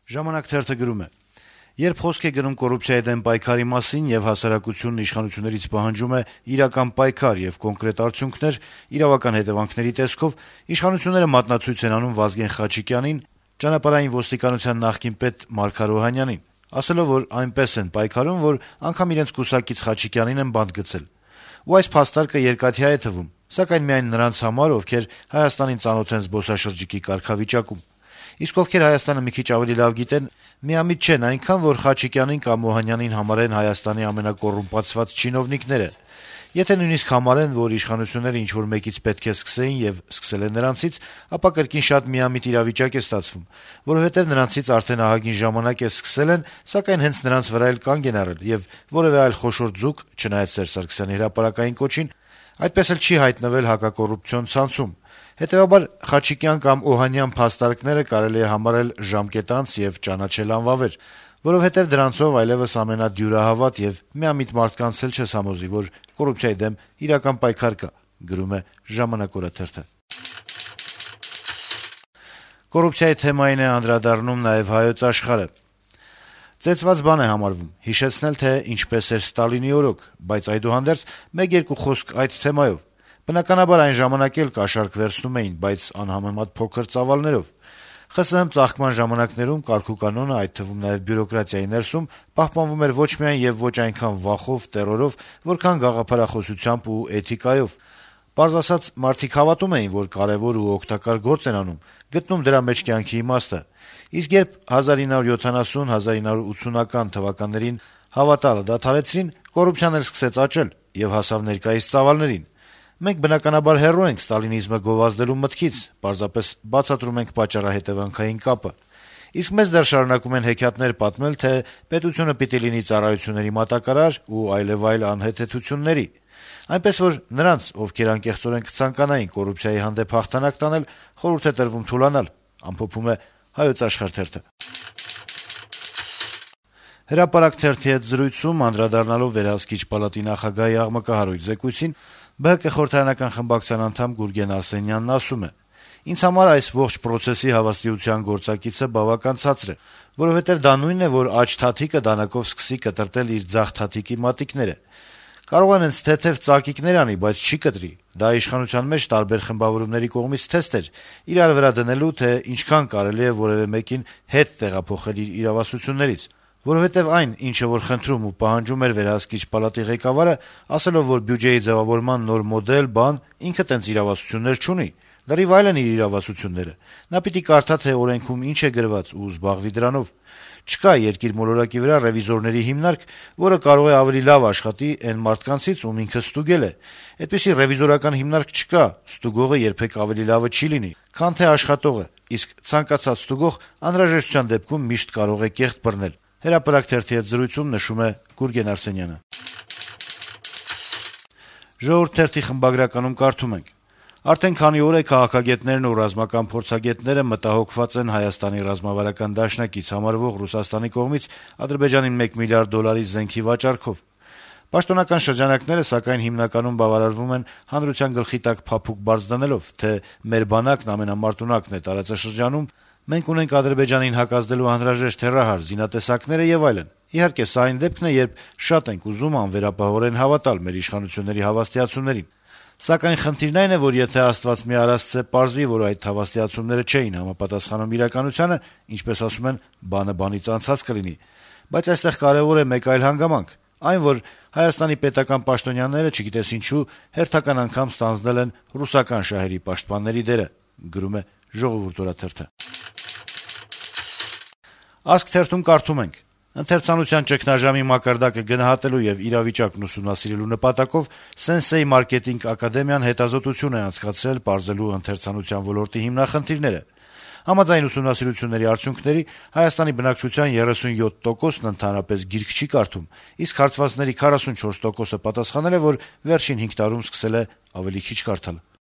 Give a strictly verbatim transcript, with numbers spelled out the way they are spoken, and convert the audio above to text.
Ժամանակ թերթը գրում է. - «Երբ խոսք է գնում կոռուպցիայի դեմ պայքարի մասին եւ հասարակությունն իշխանություններից պահանջում է իրական պայքար եւ կոնկրետ արդյունքներ, իրավական հետեւանքների տեսքով, իշխանությունները մատնացույց են անում Վազգեն Խաչիկյանին, ճանապարհային ոստիկանության նախկին պետ Մարգար Օհանյանին, ասելով, որ այնպես են պայքարում, որ անգամ իրենց կուսակից Խաչիկյանին են բանտ գցել: Ու այս փաստարկը երկաթյա է թվում, սակայն միայն նրանց համար, ովքեր Հայաստանին ծանոթ են զբոսաշրջիկի կարգավիճակում: Իսկ ովքեր Հայաստանը մի քիչ ավելի լավ գիտեն, միամիտ չեն այնքան, որ Խաչիկյանին կամ Օհանյանին համարեն Հայաստանի ամենակոռումպացված չինովնիկները: Եթե նույնիսկ համարեն, որ իշխանությունները ինչ-որ մեկից պետք է սկսեին եւ սկսել են նրանցից, ապա կրկին շատ միամիտ իրավիճակ է ստացվում, որովհետեւ նրանցից արդեն ահագին ժամանակ է սկսել են, սակայն հենց նրանց վրա էլ կանգ են առել, եւ որեւէ այլ խոշոր ձուկ, չնայած Սերժ Սարգսյանի հրապարակային կոչին, այդպես էլ չի հայտնվել հակակոռուպցիոն ցանցում: Հետեւաբար Խաչիկյան կամ Օհանյան փաստարկները կարելի է համարել ժամկետանց եւ ճանաչել անվավեր, որովհետեւ դրանցով այլեւս ամենադյուրահավատ եւ միամիտ մարդկանց էլ չես համոզի, որ կոռուպցիայի դեմ իրական պայքար կա»: Կոռուպցիայի թեմային է անդրադառնում նաեւ «Հայոց Աշխարհ»-ը. - «Ծեծված բան է համարվում հիշեցնել, թե ինչպես էր Ստալինի օրոք, բայց այդուհանդերձ մեկ-երկու խոսք այդ թեմայով: Բնականաբար այն ժամանակ էլ կաշառք վերցնում էին, բայց անհամեմատ փոքր ծավալներով: ԽՍՀՄ ծաղկման ժամանակներում կարգուկանոնը, այդ թվում նաեւ բյուրոկրատիայի ներսում, պահպանվում էր ոչ միայն եւ ոչ այնքան վախով, տեռորով, որքան գաղափարախոսությամբ ու էթիկայով: Պարզ ասած, մարդիկ հավատում էին, որ կարեւոր ու օգտակար գործ են անում, գտնում դրա մեջ կյանքի իմաստը: Իսկ երբ հազար ինը հարյուր յոթանասուն - հազար ինը հարյուր ութսունական թվականներին հավատալը դադարեցրին, կոռուպցիան էլ սկսեց աճել եւ հասավ ներկայիս ծավալներին: Մենք, բնականաբար, հեռու ենք ստալինիզմը գովազդելու մտքից, պարզապես բացատրում ենք պատճառահետեւանքային կապը: Իսկ մեզ դեռ շարունակում են հեքիաթներ պատմել, թե պետությունը պիտի լինի ծառայությունների մատակարար ու այլեւայլ անհեթեթությունների: Այնպես որ նրանց, ովքեր անկեղծորեն կցանկանային կոռուպցիայի հանդեպ հաղթանակ տանել, խորհուրդ է տրվում թուլանալ»: «Հրապարակ» թերթի հետ զրույցում, անդրադառնալով Վերահսկիչ պալատի նախագահի աղմկահարույց զեկույցին, ԲՀԿ խորհրդարանական խմբակցության անդամ Գուրգեն Արսենյանն ասում է. - «Ինձ համար այս ողջ պրոցեսի հավաստիության գործակիցը բավական ցածր է, որովհետեւ դա նույնն է, որ աջ թաթիկը դանակով սկսի կտրտել իր ձախ թաթիկի մատիկները: Կարող է նենց թեթեւ ծակիկներ անի, բայց չի կտրի: Դա իշխանության մեջ տարբեր խմբավորումների կողմից թեստ էր՝ իրար վրա դնելու, թե ինչքան կարելի է որեւէ մեկին հետ տեղափոխել իր իրավասություններից: Որովհետեւ այն, ինչը որ խնդրում ու պահանջում էր Վերահսկիչ պալատի ղեկավարը՝ ասելով, որ բյուջեի ձեւավորման նոր մոդել, բան, ինքը տենց իրավասություններ չունի, լրիվ այլ են իր իրավասությունները: Նա պիտի կարդա, թե օրենքում ինչ է գրված ու զբաղվի դրանով: Չկա երկիր մոլորակի վրա ռեվիզորների հիմնարկ, որը կարող է ավելի լավ աշխատի էն մարդկանցից, ում ինքը ստուգել է: Այդպիսի ռեվիզորական հիմնարկ չկա, ստուգողը երբեք ավելի լավը չի լինի, քան թե աշխատողը, իսկ ցանկացած ստուգող անհրաժեշտության դեպքում միշտ կարող է կեղտ բռնել»: «Ժողովուրդ» թերթի խմբագրականում կարդում ենք. - «Արդեն քանի օր է քաղաքագետներն ու ռազմական փորձագետները մտահոգված են Հայաստանի ռազմավարական դաշնակից համարվող Ռուսաստանի կողմից Ադրբեջանին մեկ միլիարդ դոլարի զենքի վաճառքով: Պաշտոնական շրջանակները, սակայն, հիմնականում բավարարվում են հանրության գլխի տակ փափուկ բառ դնելով, թե մեր բանակն ամենամարտունակն է տարածաշրջանում, մենք ունենք Ադրբեջանին հակազդելու անհրաժեշտ հեռահար զինատեսակները եւ այլն: Իհարկե, սա այն դեպքն է, երբ շատ ենք ուզում անվերապահորեն հավատալ մեր իշխանությունների հավաստիացումներին: Սակայն խնդիրն այն է, որ եթե Աստված մի արասցե պարզվի, որ այդ հավաստիացումները չէին համապատասխանում իրականությանը, ինչպես ասում են, բանը բանից անցած կլինի: Բայց այստեղ կարեւոր է մեկ այլ հանգամանք, այն, որ Հայաստանի պետական պաշտոնյաները, չգիտես ինչու, հերթական անգամ ստանձնել են ռուսական շահերի պաշտպանների դերը»: «Ազգ» թերթում կարդում ենք. - «Ընթերցանության ճգնաժամի մակարդակը գնահատելու եւ իրավիճակն ուսումնասիրելու նպատակով «Սենսեյ մարքետինգ ակադեմիան» հետազոտություն է անցկացրել՝ պարզելու ընթերցանության ոլորտի հիմնախնդիրները: Համաձայն ուսումնասիրությունների արդյունքների՝ Հայաստանի բնակչության երեսունյոթ տոկոսն ընդհանրապես գիրք չի կարդում, իսկ հարցվածների քառասունչորս տոկոսը պատասխանել է, որ վերջին հինգ տարում սկսել է ավելի քիչ կարդալ»: